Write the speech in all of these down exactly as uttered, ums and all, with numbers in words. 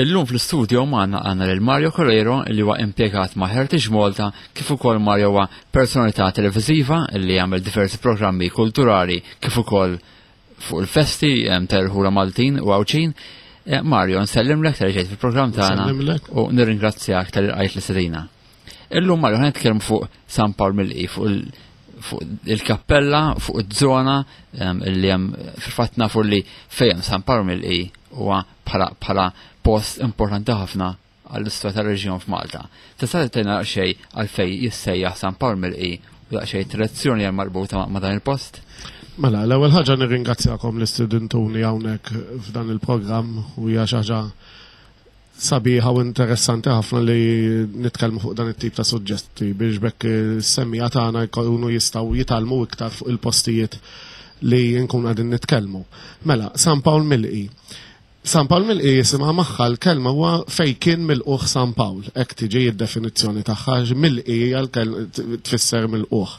Illum fl-istudio magħna għandna lil Mario Coleiro li huwa impjegat ma' Heritage Malta kif ukoll Mario huwa personalità televiżiva li jagħmel diversi programmi kulturali kif ukoll fuq il-festi ta' Maltin u Għawdxin. Eh, Mario, nsellimlek talli ġejt fil-programm tagħna u nirringrazzjak talli lqajt l-istedina. Illum Mario ħa nitkellmu fuq San Pawl Milqi, fuq fuq il-kappella, fuq iż-żona li hemm fil-fatt nafu li fejn San Pawl Milqi huwa bħala post importanti ħafna għall-istorja tar-reġjun f'Malta. Tista' tgħidilna xejn għalfejn jissejjaħ San Pawl Milqi u daqsxejn tradizzjoni hemm marbuta ma' dan il-post? Mela, l-ewwel ħaġa nirringrazzjakom li stidintuni hawnhekk f'dan il-programm u hija xi ħaġa sabiħa u interessanti ħafna li nitkellmu fuq dan it-tip ta' suġġetti biex b'hekk is-semmiegħa tagħna jkunu jistgħu jitgħallmu iktar fuq il-postijiet li nkun qegħdin nitkellmu. Mela, San Pawl Milqi. San Pawl Milqi jisimha magħha l-kelma huwa fej kien milqugħ San Pawl, hekk tiġi d-definizzjoni tagħha, milqi hija tfisser milqugħ.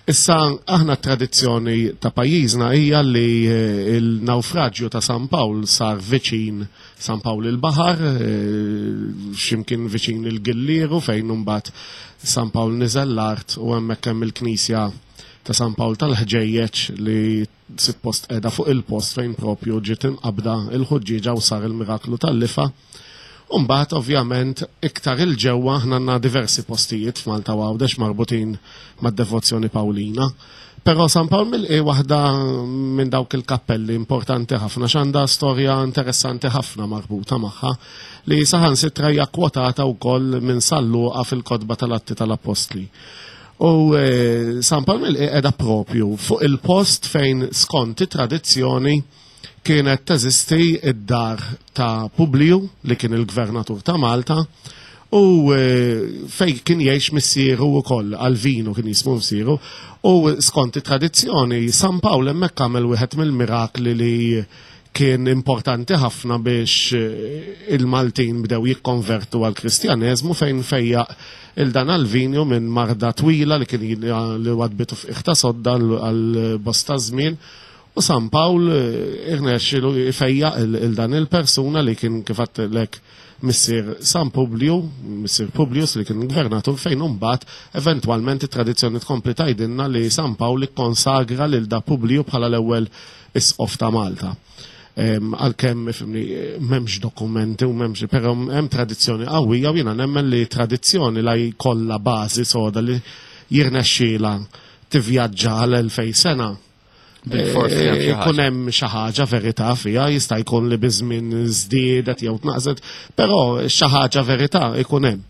Issa aħna tradizzjoni ta' pajjiżna hija li eh, il-nawfraġġju ta' San Pawl sar viċin San Pawl il-Baħar, eh, x'imkien viċin il-Gillieru fejn imbagħad San Pawl niżel l-art u hemmhekk hemm il-knisja ta' San Pawl tal-Ħġejjeġ li suppost qiegħda fuq il-post fejn propju ġiet imqabda il-ħuġġieġa u sar il-miraklu tal-lifa. Umbagħad ovvjament iktar 'il ġewwa aħna għandna diversi postijiet f'Malta u Għawdex marbutin mad-devozzjoni Pawlina. Però San Pawl Milqi waħda minn dawk il-kappelli importanti ħafna x'għandha storja interessanti ħafna marbuta magħha li saħansitra hija kwotata wkoll minn San Luqa fil-kotba tal-Atti tal-Appostli. U eh, San Pawl Milqi qiegħda propju fuq il-post fejn skont it-tradizzjoni kienet teżisti id-dar ta' Publiju li kien il-gvernatur ta' Malta u eh, fej kien jgħix missieru wkoll Alvinu kien jismu missieru u skont it-tradizzjoni San Pawl hemmhekk għamel wieħed mill-mirakli li kien importanti ħafna biex eh, il-Maltin bdew jikkonvertu għal kristjaneżmu fejn fejjaq lil dan Alvinju minn marda twila li kien li wadbitu f'qiegħ ta' sodda għal bosta żmien. U San Pawl eh, irnexxielu fejjaq lil dan il-persuna li kien kif lek missier San Publiju, missier Publius li kien gvernatur fejn imbagħad eventwalment it-tradizzjoni tkompli tgħidilna li San Pawl ikkonsagra lil da Publiju bħala l-ewwel isqof ta' Malta. Għalkemm ifhimni m'hemmx dokumenti u m'hemmx, però hemm tradizzjoni qawwija u jiena nemmen li tradizzjoni la jkollha bażi soda li jirnexxiela tivvjaġġa għal elfej sena. Ikun hemm xi ħaġa verità fiha, jista' jkun li biż-żmien żdiedet jew tnaqset, però xi ħaġa verità ikun hemm.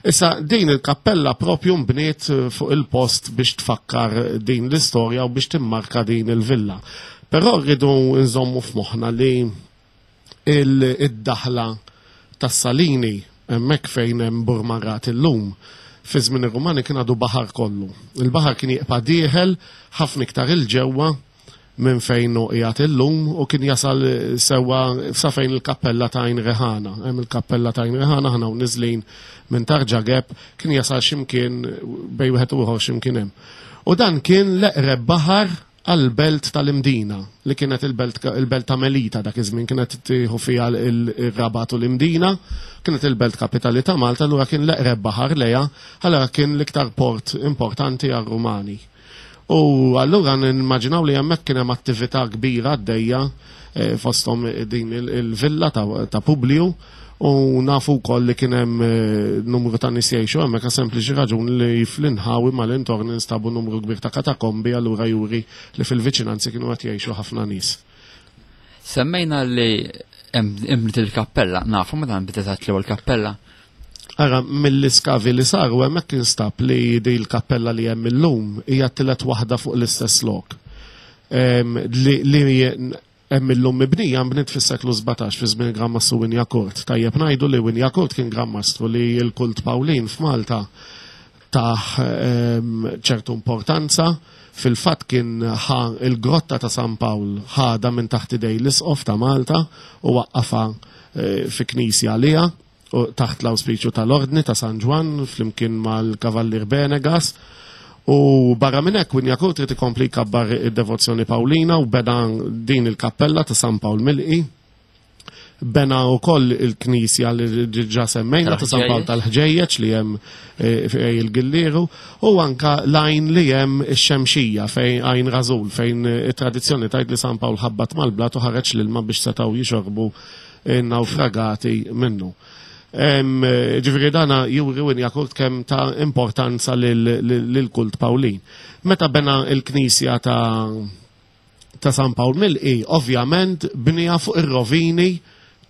Issa din il-kappella propju nbniet fuq il-post biex tfakkar din l-istorja u biex timmarka din il-villa. Però rridu nżommu f'moħħna li id-daħla tas-Salini hemmhekk fejn hemm Burmarrat illum fi żmien ir-Rumani kien għadu baħar kollu. Il-baħar kien jibqa' dieħel ħafna iktar 'il ġewwa minn fejn hu qiegħed illum u kien jasal sewwa sa fejn il-kappella ta' Għajn Reħana. Hemm il-kappella ta' Għajn Reħana aħna u niżlin minn Tarġageb kien jasal x'imkien bejn wieħed u ieħor x'imkien hemm. U dan kien l-eqreb baħar għal-belt tal-Imdina, li kienet il-belt, il-belt ta' Melita dak iż-żmien kienet tieħu fiha il-Rabat u l-Imdina, kienet il-belt kapitali ta' Malta, allura kien l-eqreb baħar lejha, allura kien l-iktar port importanti għar-Rumani. U allura nimmaġinaw li hemmhekk kien hemm attività kbira għaddejja eh, fosthom din il-villa ta', ta' Publiju u nafu wkoll li kien hemm eh, numru ta' nies jgħixu hemmhekk għas sempliċi raġun li fl-inħawi mal-intorn instabu numru kbir ta' katakombi allura juri li fil-viċinanzi kienu qed jgħixu ħafna nies. Semmejna li nbniet il-kappella, nafu meta nbniet eżatt l-ewwel kappella. Ara, mill-iskavi li saru hemmhekk instab li di l-kappella li hemm illum hija t-tielet waħda fuq l-istess lok. Em, Li li hemm illum mibnija nbniet fis-seklu sbatax fi żmien Gran Mastru Wignacourt. Tajjeb ngħidu li Wignacourt kien Gran Mastru li l-kult Pawlin f'Malta taħ em, ċertu importanza. Fil-fatt kien ħa il-grotta ta' San Pawl ħada minn taħt idej l-isqof ta' Malta u waqqafa eh, fi knisja għaliha u taħt l-awspiċju tal-Ordni ta' San Ġwann flimkien mal-Kavallier Benegas. U barra minn hekk Wignacourt trid ikompli jkabbar id-devozzjoni Pawlina u beda din il-kappella ta' San Pawl Milqi Bena wkoll il-knisja li diġà semmejna ta' San Pawl tal-Ħġejjeġ li hemm eh, il-Gillieru, u anka l-għajn li hemm ix-Xemxija fejn Għajn Rażul, fejn it-tradizzjoni tgħid li San Pawl ħabbat mal-blat u ħareġ l-ilma biex setgħu jixorbu n-nawfragati minnu. Ġifieri dana juri Wynjacourt kemm ta' importanza lill-kult Pawlin. Meta bena il-knisja ta' ta' San Pawl Milqi, ovvjament bnija fuq ir-rovini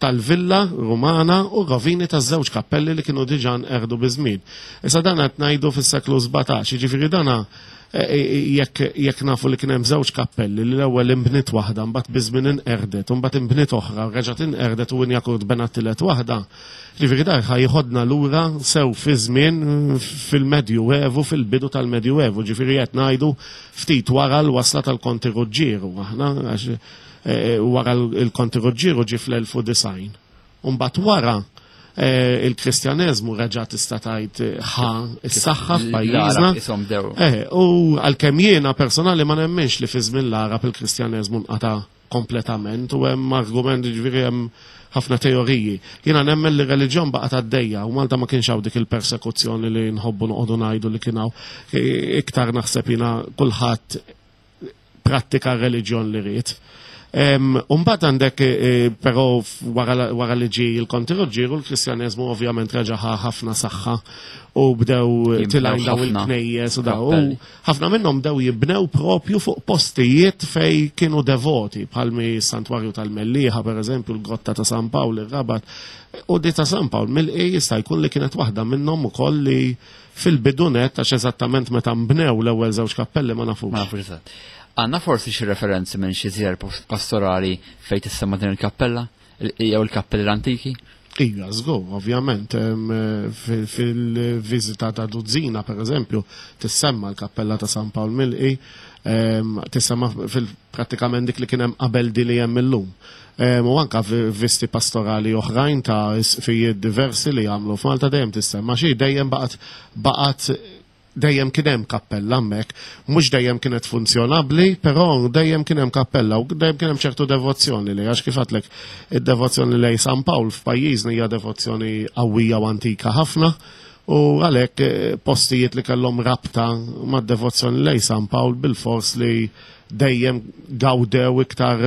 tal-villa Rumana u rovini taż-żewġ kappelli li kienu diġà nqerdu biż-żmien. Issa dan qed ngħidu fis-seklu sbatax, jiġifieri dana jekk jekk nafu li kien hemm żewġ kappelli li l-ewwel inbniet waħda, mbagħad biż-żmien inqerdet, u mbagħad inbniet oħra, reġgħet inqerdet u Wynjacourt bena t-tielet waħda. Ġifieri dan ħa jieħodna lura sew fi żmien fil-Medju Evu, fil-bidu tal-Medju Evu, ġifieri qed ngħidu ftit wara l-wasla tal-Konti Ruġġieru, aħna għax wara l-Konti Ruġġieru ġie fl-elf u disgħin. U mbagħad wara il-Kristjaneżmu reġa' tista' tgħid ħa s-saħħa f'pajjiżna. U għalkemm jiena personali ma nemminx li fi żmien l-Għarab il-Kristjaneżmu nqata' kompletament u hemm argument, ġifieri hemm ħafna teoriji. Jiena nemmen li reliġjon baqgħet għaddejja u Malta ma kienx hawn dik il-persekuzzjoni li nħobbu noqogħdu ngħidu li kien hawn. Iktar naħseb jiena kulħadd prattika reliġjon li ried. Umbagħad għandek, però wara li ġie il-Konti Ruġġieru, l-Kristjaneżmu ovvjament reġa' ħa ħafna saħħa u bdew tilgħin daw il-knejjes u daw. Ħafna minnhom bdew jibnew propju fuq postijiet fej kienu devoti, bħalmi s-Santwarju tal-Mellieħa, per eżempju, l-Grotta ta' San Pawl, ir-Rabat. U di ta' San Pawl Milqi jista' jkun li kienet waħda minnhom ukoll li fil-bidunet, għax eżattament meta nbnew l-ewwel żewġ kappelli ma nafux. Ma nafux eżatt. Għanna forsi xi referenzi minn xi żjar pastorali fejn tissemma din il-kappella jew il-kappelli l-antiki? Ija, żgur, ovvjament, fil-viżita ta' Duzzina, per eżempju, tissemma l-kappella ta' San Pawl Milqi, tissemma fil-prattikament dik li kien hemm qabel di li hemm illum. U anka visti pastorali oħrajn ta' isqfijiet diversi li jagħmlu f'Malta dejjem tissemma xi dejjem baqgħet baqgħet dejjem kien hemm kappella hemmhekk, mhux dejjem kienet funzjonabbli, però dejjem kien hemm kappella u dejjem kien hemm ċertu devozzjoni li għax kif għadlek id-devozzjoni lejn San Pawl f'pajjiżna hija devozzjoni qawwija u antika ħafna u għalhekk postijiet li kellhom rabta mad-devozzjoni lejn San Pawl bil-fors li dejjem gawdew iktar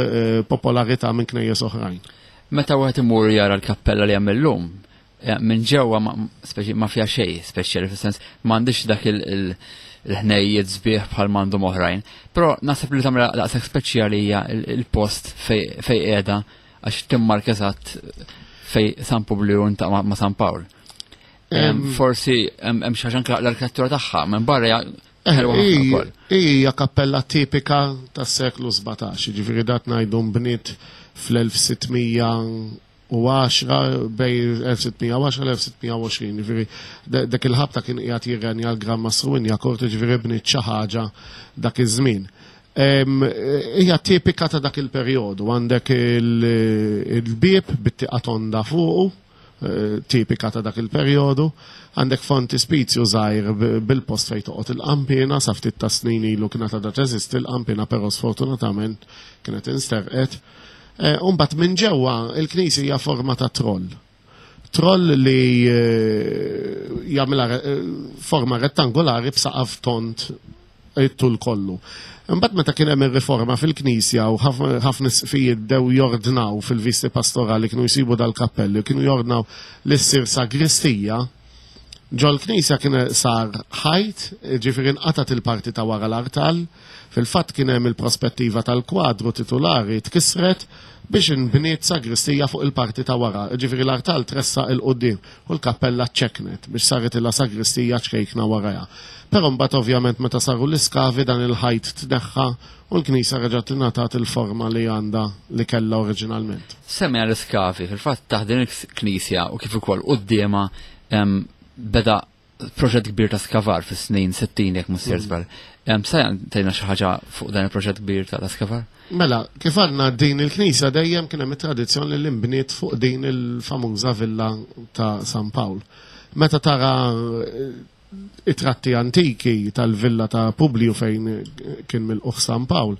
popolarità minn knejjes oħrajn. Meta wieħed imur jara l-kappella li hemm illum, minn ġewwa speċi ma fiha xejn speċjali fis-sens m'għandix dak il-ħnejjiet sbieħ bħal m'għandhom oħrajn. Però naħseb li tagħmel daqshekk speċjali hija il-post fej qiegħda għax timmarka eżatt fej San Publiju intaqa' ma' San Pawl. Forsi hemm xi ħaġa anke l-arkitettura tagħha minn barra hija ħelwa ħafna wkoll. Hija kappella tipika tas-seklu sbatax, jiġifieri dat ngħidu nbniet fl-elf sittmija u għaxra, bej elf sittmija u għaxra l-elf sittmija u għoxrin, jiġifieri dak il-ħabta kien qiegħed jirrenja l-Gran Mastru Wynjacourt, jiġifieri bniet xi ħaġa dak iż-żmien. Hija tipika ta' dak il-perjodu, għandek il-bieb bit-tieqa tonda fuqu, tipika ta' dak il-perjodu, għandek fontispizju żgħir bil-post fejn toqgħod il-qampina, sa ftit ta' snin ilu kienet għadha teżisti l-qampina, però sfortunatament kienet insterqet. U mbagħad minn ġewwa il-knisja hija forma ta' troll. Troll li jagħmilha forma rettangolari b'saqaf tond it-tul kollu. Imbagħad meta kien hemm ir-riforma fil-knisja u ħafna isqfijiet bdew jordnaw fil-visti pastorali kienu jsibu dal-kappelli, kienu jordnaw li ssir sagristija, ġol-knisja kien sar ħajt, ġifieri nqatat il-parti ta' wara l-artal, fil-fatt kien hemm il-prospettiva tal-kwadru titulari tkissret biex inbniet sagristija fuq il-parti ta' wara, ġifieri l-artal tressaq il-qudiem u l-kappella ċeknet biex saret ilha sagristija ċkejkna warajha. Però mbagħad ovvjament meta saru l-iskavi dan il-ħajt tneħħa u l-knisja reġgħet ingħatat il-forma li għandha li kellha oriġinalment. Semmi l-iskavi, fil-fatt taħt din il-knisja u kif ukoll quddiemha beda proġett kbir ta' skavar fis-snin sittin jekk mhux sejjer żball. Sa tgħidna xi ħaġa fuq dan il-proġett kbir ta' skavar? Mela, kif għandna din il-knisja dejjem kien hemm it-tradizzjoni li nbniet fuq din il-famuża villa ta' San Pawl. Meta tara it-tratti antiki tal-villa ta' Publiju fejn kien mill-uħ San Pawl,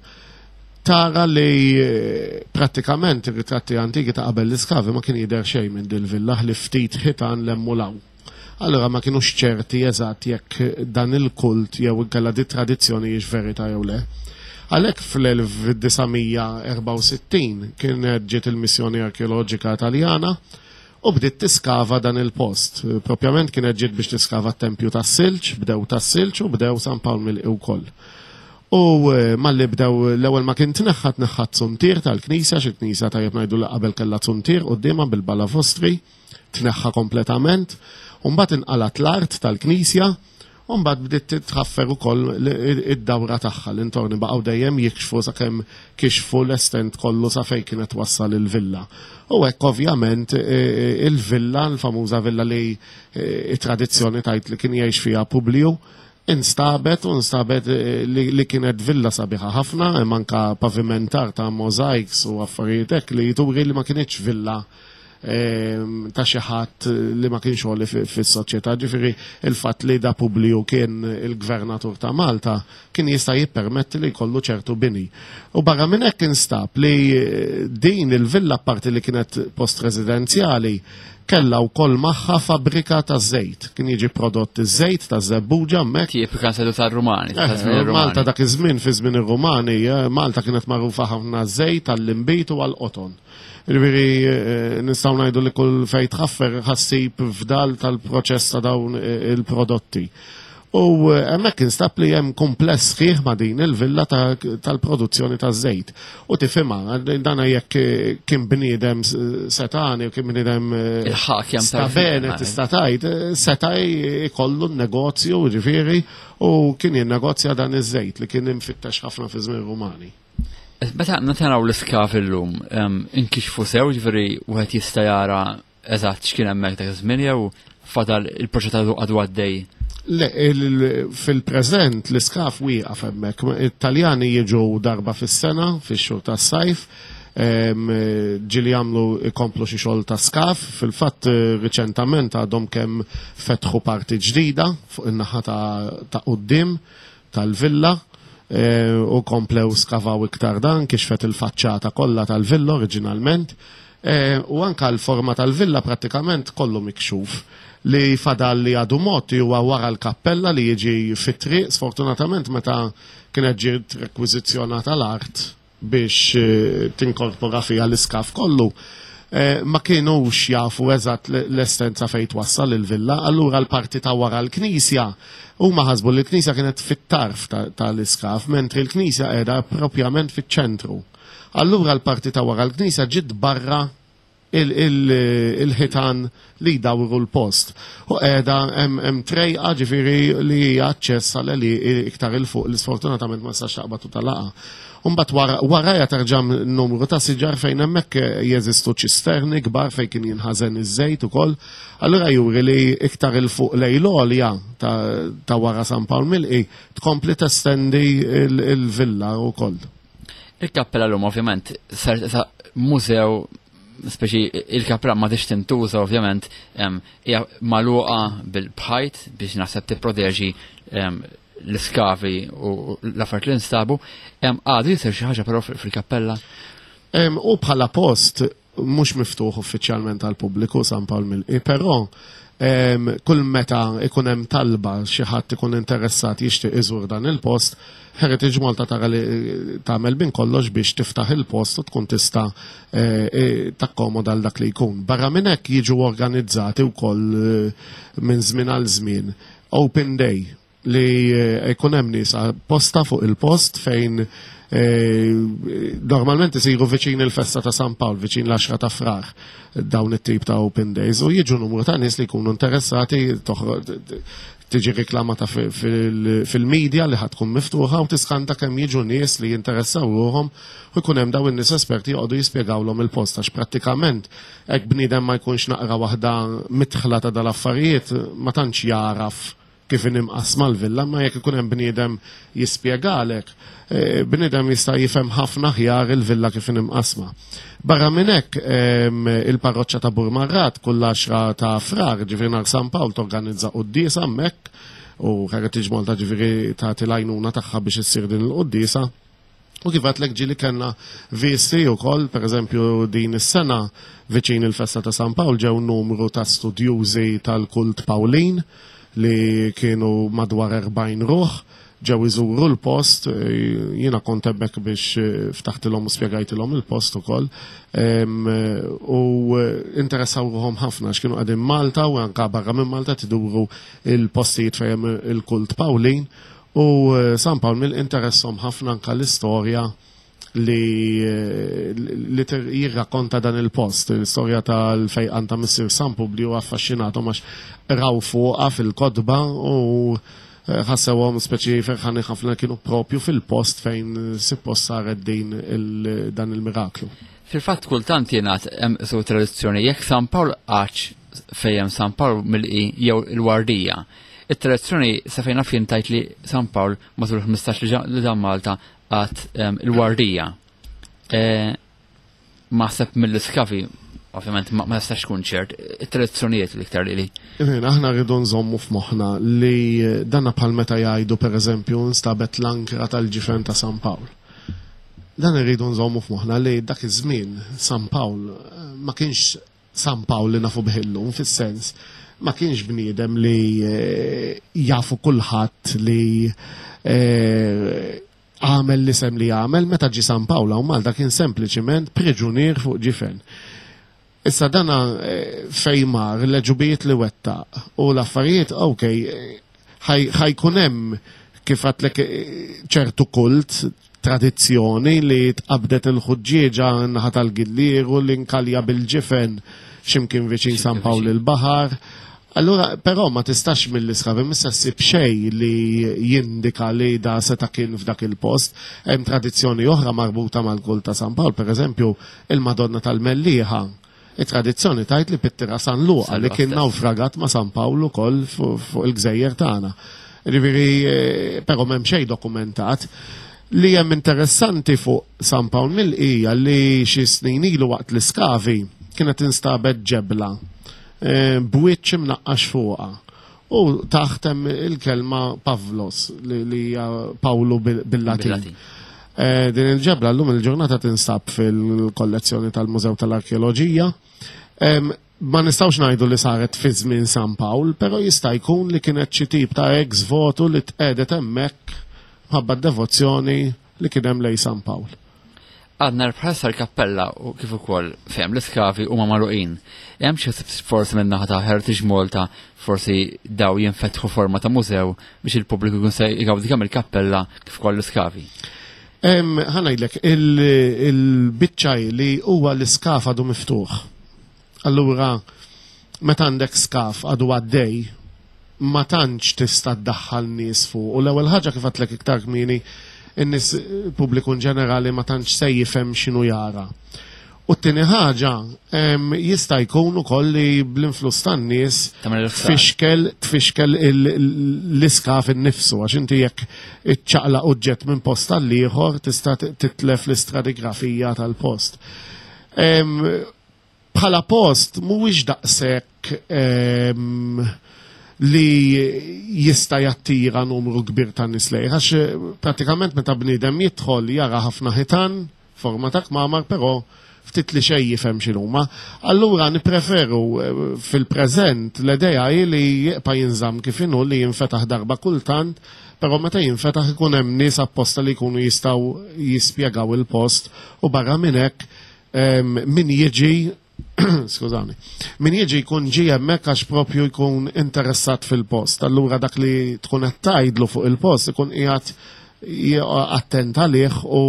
Tara li eh, prattikament ir-ritratti antiki ta' qabel l-iskavi ma kien jidher xejn minn dil-villa li ftit ħitan l-emmulaw. Allora ma kienux ċerti eżatt jekk dan il-kult jew inkella di tradizzjoni hijiex verità jew le. Għalhekk fl-elf disa' mija erbgħa u sittin kienet ġiet il-missjoni arkeoloġika Taljana u bdiet tiskava dan il-post. Propjament kienet ġiet biex tiskava t-tempju tas-Silġ, bdew tas-Silġ u bdew San Pawl Milqi wkoll. U, eh, malli bdew l-ewwel ma kien tneħħa tneħħa t-zuntier tal-knisja, xi knisja tajjeb ngħidu li qabel kellha zuntier quddiemha bil-balavostri, tneħħa kompletament, u mbagħad inqalat l-art tal-knisja, u mbagħad bdiet titħaffer ukoll id-dawra tagħha, l-intorni baqgħu dejjem jikxfu sakemm kixfu l-estent kollu sa fejn kienet wassal il-villa. U hekk ovvjament, e, e, il-villa, l-famuża villa li, e, it-tradizzjoni tajt li kien jgħix fiha Publiju, instabet u instabet, eh, li, li kienet villa sabiħa ħafna, hemm anka pavimentar ta' mosaics u affarijiet hekk li jturi li ma kienx villa, ehm, ta' xi ħadd li ma kienx għoli fi-, fis-soċjetà. Ġifieri il-fatt li da Publiju kien il-gvernatur ta' Malta kien jista' jippermetti li jkollu ċertu bini. U barra minn hekk instab li din il-villa parti li kienet post residenzjali kellha wkoll magħha fabbrika ta' żejt. Kien jiġi prodott iż-żejt ta' żebbuġa hemmhekk. Kif kan sedu tar-Rumani, ta' Eh, żmien ir-Rumani. Malta dak iż-żmien, fi żmien ir-Rumani, eh, Malta kienet magħrufa ħafna żejt għall-inbid u għall-qoton. Ġifieri, eh, nistgħu ngħidu li kull fejn tħaffer ħassib fdal tal-proċess ta' dawn, eh, il-prodotti. U, eh, hemmhekk instab li hemm kumpless sħiħ ma' din il-villa ta-, tal-produzzjoni taż-żejt. U tifhimha, dana jekk, eh, kien bniedem s-, setani u kien bniedem, eh, Il-ħak jam sta tarfin, bene, eh. tista' tgħid, eh, seta' jkollu n-negozju, ġifieri, u kien jinnegozja dan iż-żejt li kien imfittex ħafna fi żmien Rumani. Meta naraw l-iskav illum, em, inkixfu sew, ġifieri wieħed jista' jara eżatt x'kien hemmhekk dak iż-żmien jew fadal il-proċess għadu għadu għaddej? Le, il-, fil-preżent l-iskaf wieqaf hemmhekk. It-Taljani jiġu darba fis-sena, fix-xhur tas-sajf, em, ġieli jagħmlu ikomplu xi xogħol ta' skaf. Fil-fatt riċentament għadhom kemm fetħu parti ġdida fuq in-naħa ta', ta' quddiem tal-villa, e, u komplew skavaw iktar dan, kixfet il-faċċata kollha tal-villa oriġinalment. E, u anka l-forma tal-villa prattikament kollu mikxuf. Li fadal li għadu moti huwa wara l-kappella li jiġi fit-triq, sfortunatament meta kienet ġiet rekwiżizzjonata l-art biex, eh, tinkorpora fiha l-iskaf kollu, eh, ma kienux jafu eżatt l-, l-estenza fejn twassal il-villa, allura l-parti ta' wara l-knisja huma ħasbu li l-knisja kienet fit-tarf ta-, tal-iskaf, mentri l-knisja qiegħda propjament fiċ-ċentru. Allura l-parti ta' wara l-knisja ġiet barra il-, il-, il-ħitan li jdawru l-post. U qiegħda hemm, hemm trejqa ġifieri li hija aċċess għal li iktar il fuq li sfortunatament ma tistax taqbad u talaqa. U mbagħad wara, warajja terġa' numru ta' siġar fejn hemmhekk jeżistu ċisterni kbar fejn kien jinħażen iż-żejt ukoll. Allura juri li iktar il fuq lejn l-għolja ta', ta' wara San Pawl Milqi tkompli testendi il-, il-villa wkoll. Il-kappella l-lum ovvjament sar sa mużew, speċi il-kappella ma tix tintuża ovvjament, em, hija magħluqa bil-bħajt biex naħseb tipproteġi, em, l-iskavi u l-affarijiet li nstabu. Em, għadu jisir xi ħaġa però fil-, fil-kappella? Em, u bħala post mhux miftuħ uffiċjalment għal pubbliku San Pawl Milqi, però, em, kull meta ikun hemm talba xi ħadd ikun interessat jixtieq iżur dan il-post, Heritage Malta tara li tagħmel bin kollox biex tiftaħ il-post u tkun tista', eh, eh, takkomoda għal dak li jkun. Barra minn hekk jiġu organizzati wkoll, eh, minn żmien għal żmien Open Day li, eh, jkun hemm nies apposta fuq il-post fejn, eh, normalment isiru viċin il-festa ta' San Pawl, viċin l-għaxra ta' Frar, dawn it-tip ta' Open Days, u jiġu numru ta' nies li jkunu interessati, toħro-, tiġi reklamata fi-, fil-, fil-medja li ħad tkun miftuħa u tiskanta kemm jiġu nies li jinteressaw ruhom u jkun hemm dawn in-nies esperti joqogħdu jispjegawlhom il-post, għax prattikament hekk bniedem ma jkunx naqra waħda mitħla ta' dal-affarijiet ma tantx jaraf kif inimqasma l-villa, ma jekk ikun hemm bniedem jispjegalek, eh, bniedem jista' jifhem ħafna aħjar il-villa kif inimqasma. Barra minn hekk, ehm, il-parroċċa ta' Burmarrad kull għaxra ta' Frar, ġifieri nhar San Pawl, torganizza quddiesa hemmhekk, u Heritage Malta ġifieri tagħti l-għajnuna tagħha biex issir din il-quddiesa. U kif għedtlek, ġieli kellna visti u koll, per eżempju din is-sena viċin il-festa ta' San Pawl ġew numru ta' studjużi tal-kult Pawlin li kienu madwar erbgħin ruħ, ġew iżuru l-post, eh, jiena kont hemmhekk biex eh, ftaħtilhom u spjegajtilhom il-post ukoll. Em, eh, U eh, interessaw ruħhom ħafna x'kienu qegħdin Malta u anka barra minn Malta tiduru il-postijiet fejn il-kult Pawlin u eh, San Pawl mill interesshom ħafna anka l-istorja li, eh, li ter- jirrakkonta dan il-post, l-istorja tal-fejqan ta' Missir San Publiju affaxxinathom għax raw fuqha fil-kotba u eh, ħassewhom speċi ferħani ħafna kienu propju fil-post fejn suppost saret din il, dan il-miraklu. Fil-fatt kultant jingħad hemm su tradizzjoni jekk San Pawl għax fejn San Pawl milqi jew il-Wardija. It-tradizzjoni sa fejn naf jien tgħid li San Pawl matul ħmistax li ġa- li dam Malta għad em, il-Wardija. Eh, Naħseb mill-iskavi, ovvjament ma ma nistax tkun ċert, it-tradizzjonijiet l-iktar li li. Jien, aħna rridu nżommu f'moħħna li danna bħal meta jgħidu, per eżempju, nstabet l-ankra tal-ġifen ta' San Pawl. Dan irridu nżommu f'moħħna li dak iż-żmien San Pawl eh, ma kienx San Pawl li nafu bih illum, fis-sens ma kienx bniedem li eh, jafu kulħadd li eh, għamel l-isem li għamel. Meta ġi San Pawl u Malta kien sempliċiment priġunier fuq ġifen. Issa dana eh, fejn mar, l-għeġubijiet li wettaq u l-affarijiet, ok, eh, ħaj jkun hemm, kif għedtlek, eh, ċertu kult, tradizzjoni li tqabdet il-ħuġġieġa naħa tal-Gillieru li nkalja bil-ġifen ximkien viċin San Pawl il-Baħar. Allura, però ma tistax mill-iskavi missa ssib xej li jindika li da seta kien f'dak il-post. Hemm tradizzjoni oħra marbuta mal-kult ta' San Pawl, per eżempju, il-Madonna tal-Mellieħa. Il-tradizzjoni tgħid li pittira San Luqa San li Luqa kien stess. naufragat ma' San Pawl ukoll fuq fuq il-gżejjer tagħna. Ġifieri, eh, però m'hemm xejn dokumentat. Li hemm interessanti fuq San Pawl Milqi li xi snin ilu waqt l-iskavi kienet instabet ġebla eh, b'wiċċ imnaqqax fuqha. U taħt hemm il-kelma Pavlos li li hija Pawlu bil- bil-Latin. Bil-Latin. Eh, Din il-ġebla llum il-ġurnata tinstab fil-kollezzjoni tal-Mużew tal-Arkeoloġija. Em, Ma nistawx ngħidu li saret fi żmien San Pawl, però jista' jkun li kienet xi tip ta' ex votu li tqedet hemmhekk ħabba devozzjoni li kien hemm lej San Pawl. Għadna bħalissa l-kappella u kif ukoll fejn l-iskavi huma magħluqin. Hemm xi forsi minn naħa ta' Heritage Malta forsi daw jinfetħu forma ta' mużew biex il-pubbliku jkun se jgawdi kemm il-kappella kif ukoll l-iskavi? Em, Ħa ngħidlek, il-biċċa li huwa l-iskaf għadu miftuħ. Allura, meta għandek skaf għadu għaddej, ma tantx tista' ddaħħal nies fuq. U l-ewwel ħaġa, kif għedtlek iktar kmieni, in-nies, pubbliku in ġenerali, ma tantx se jifhem x'inhu jara. U t-tieni ħaġa, em, jista' jkun ukoll li bl-influss tan-nies Tagħmel il-ħsara. tfixkel tfixkel il- l-iskaf innifsu, għax inti jekk iċċaqlaq oġġett minn post għal ieħor tista' titlef l-istratigrafija tal-post. Em, Bħala post mhuwiex daqshekk em, li jista' jattira numru kbir ta' nies lejh, għax eh, pratikament meta bniedem jidħol jara ħafna ħitan, forma ta' kmamar, però ftit li xejn jifhem x'inhuma. Allura nippreferu eh, fil-preżent l-idea hi li jibqa' jinżamm kif inhu, li jinfetaħ darba kultant, però meta jinfetaħ ikun hemm nies apposta li jkunu jistgħu jispjegaw il-post u barra minn hekk em, min jiġi, skużani, min jiġi jkun ġi hemmhekk għax propju jkun interessat fil-post. Allura dak li tkun qed tgħidlu fuq il-post ikun qiegħed attent għalih u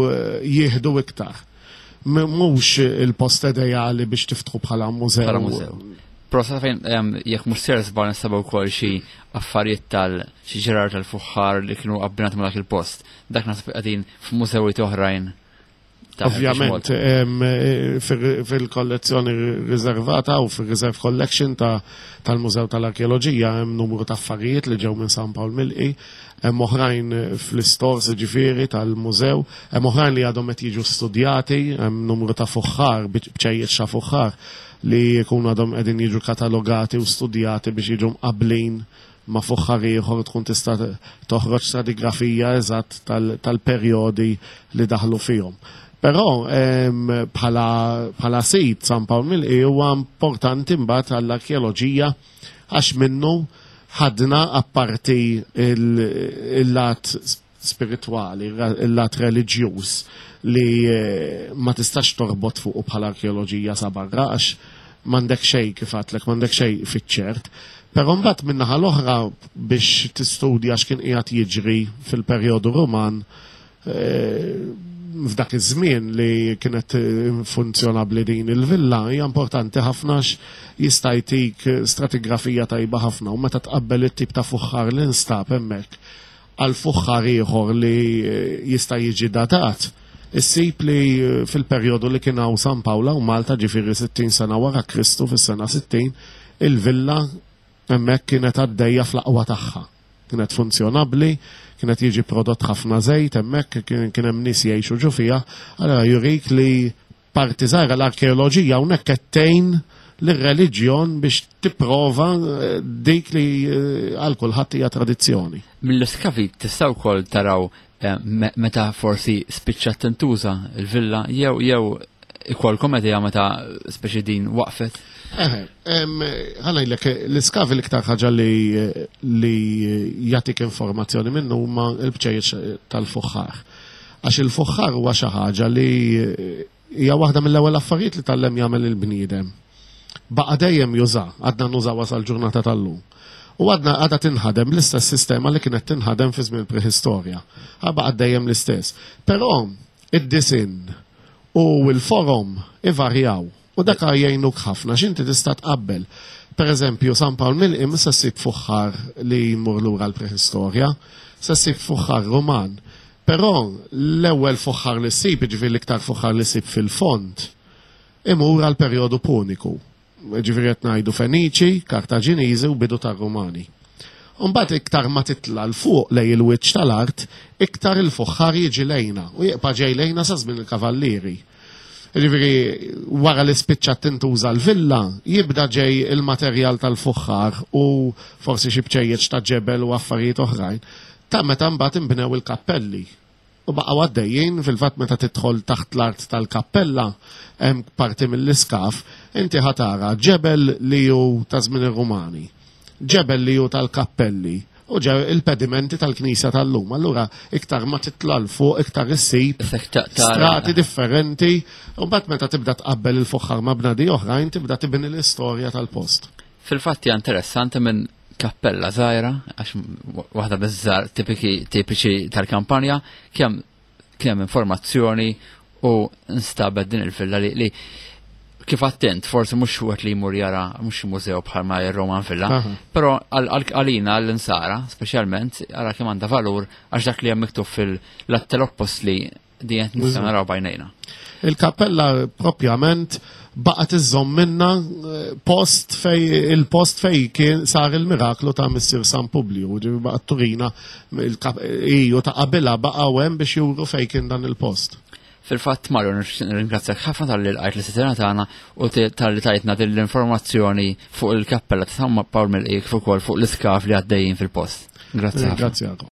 eh, jieħdu iktar. M- Mhux il-post ideali biex tiftħu bħala mużew. Bħala mużew. Però sa fejn em, jekk mhux ser żball nsabu wkoll xi affarijiet tal xi ġerar tal-fuħħar li kienu abbinati ma' dak il-post. Dak naħseb qegħdin f'mużewiet oħrajn ta' Heritage Ovvjament, Malta. em, eh, fil- fil-kollezzjoni riservata u fil-Reserve Collection ta' tal-Mużew tal-Arkeoloġija hemm numru ta' affarijiet li ġew minn San Pawl Milqi, hemm oħrajn fl-istores ġifieri tal-mużew, hemm oħrajn li għadhom qed jiġu studjati, hemm numru ta' fuħħar, bċejjeċ ta' fuħħar li jkunu għadhom qegħdin jiġu katalogati u studjati biex jiġu mqablin ma' fuħħar ieħor tkun tista' toħroġ stratigrafija eżatt tal-perjodi li daħlu fihom. Però bħala sit San Pawl Milqi huwa importanti mbagħad għall-arkeoloġija għax minnu ħadna apparti il-lat spiritwali, il-lat reliġjuż li ma tistax torbot fuqu bħala arkeoloġija sa barra għax m'għandek xejn kif għedtlek, m'għandek xejn fiċ-ċert. Però mbagħad min-naħa l-oħra biex tistudja x'kien qiegħed jiġri fil-perjodu Ruman f'dak iż-żmien li kienet funzjonabbli din il-villa hija importanti ħafna jista' jtik stratigrafija tajba ħafna u meta tqabbel it-tip ta' fuħħar li nstab hemmhekk għal fuħħar ieħor li jista' jiġi datat. Issib li fil-perjodu li kien hawn San Pawla u Malta ġifieri sittin sena wara Kristu fis-sena sittin, il-villa hemmhekk kienet għaddejja fl-aqwa tagħha. Kienet funzjonabbli, kienet jiġi prodott ħafna żejt hemmhekk, kien hemm nies jgħixu ġo fiha, allura jurik li parti żgħira l-arkeoloġija hawnhekk qed tgħin lir-reliġjon biex tipprova dik li għal kulħadd hija tradizzjoni. Mill-iskavi tistgħu wkoll taraw meta forsi spiċċat tintuża il-villa jew jew ikolkom idea meta speċi din waqfet? Eħe, ħa ngħidlek, l-iskavi l-iktar ħaġa li li jagħtik informazzjoni minnu huma l-bċejjeċ tal-fuħħar. Għax il-fuħħar huwa xi ħaġa li hija waħda mill-ewwel affarijiet li tgħallem jagħmel il-bniedem. Baqa' dejjem juża, għadna nużawha sal-ġurnata tal-lum. U għadna għadha tinħadem l-istess sistema li kienet tinħadem fi żmien prehistorja. Baqa' dejjem l-istess. Però id-disinn u l-forom ivarjaw. U dak jgħinuk ħafna x'inti tista' tqabbel. Per eżempju, San Pawl Milqi se ssib fuħħar li jmur lura l-prehistorja, se ssib fuħħar Ruman. Però l-ewwel fuħħar li ssib, jiġifieri l-iktar fuħħar li ssib fil-fond, imur għal perjodu Puniku. Ġifieri qed ngħidu Feniċi, Kartaġiniżi u bidu tar-Rumani. Mbagħad iktar ma titla' l fuq lejn il-wiċċ tal-art, iktar il-fuħħar jiġi lejna u jibqa' ġej lejna sa żmien il-Kavallieri. Ġifieri wara li spiċċat tintuża l-villa, jibda ġej il-materjal tal-fuħħar u forsi xi bċejjeċ ta' ġebel u affarijiet oħrajn, ta' meta mbagħad inbnew il-kappelli. U baqgħu għaddejjin fil-fatt meta tidħol taħt l-art tal-kappella hemm parti mill-iskaf, inti ħatara ġebel li hu ta' żmien ir-Rumani, ġebel li hu tal-kappelli u il-pedimenti tal-knisja tal-lum. Allura iktar ma titla' 'l fuq iktar issib strati differenti u mbagħad meta tibda tqabbel il-fuħħar ma' bnadi oħrajn tibda tibni l-istorja tal-post. Fil-fatt hija interessanti minn kappella żgħira, għax waħda biż-żgħar tipiċi tal-kampanja, kemm kemm informazzjoni u nstabet din il-villa li, li kif attent, forsi mhux wieħed li jmur jara mhux mużew bħalma ir-Roman Villa, però għalina għall-insara, speċjalment, ara kemm għandha valur għax dak li hemm miktub fil-Atti tal-Appostli di qed nistgħu naraw bajnejna. Il-kappella propjament baqgħet iżżomm minna post fej il-post fej kien sar il-miraklu ta' Missier San Publiju, ġifieri baqgħet turina iju ta' qabilha baqgħu hemm biex juru fej kien dan il-post. Fil-fatt Mario, nirringrazzjak ħafna talli lqajt l-istedina tagħna u talli tajtna din l-informazzjoni fuq il-kappella ta' San Pawl Milqi kif ukoll fuq l-iskaf li għaddejjin fil-post. Grazzi ħafna. Grazzi.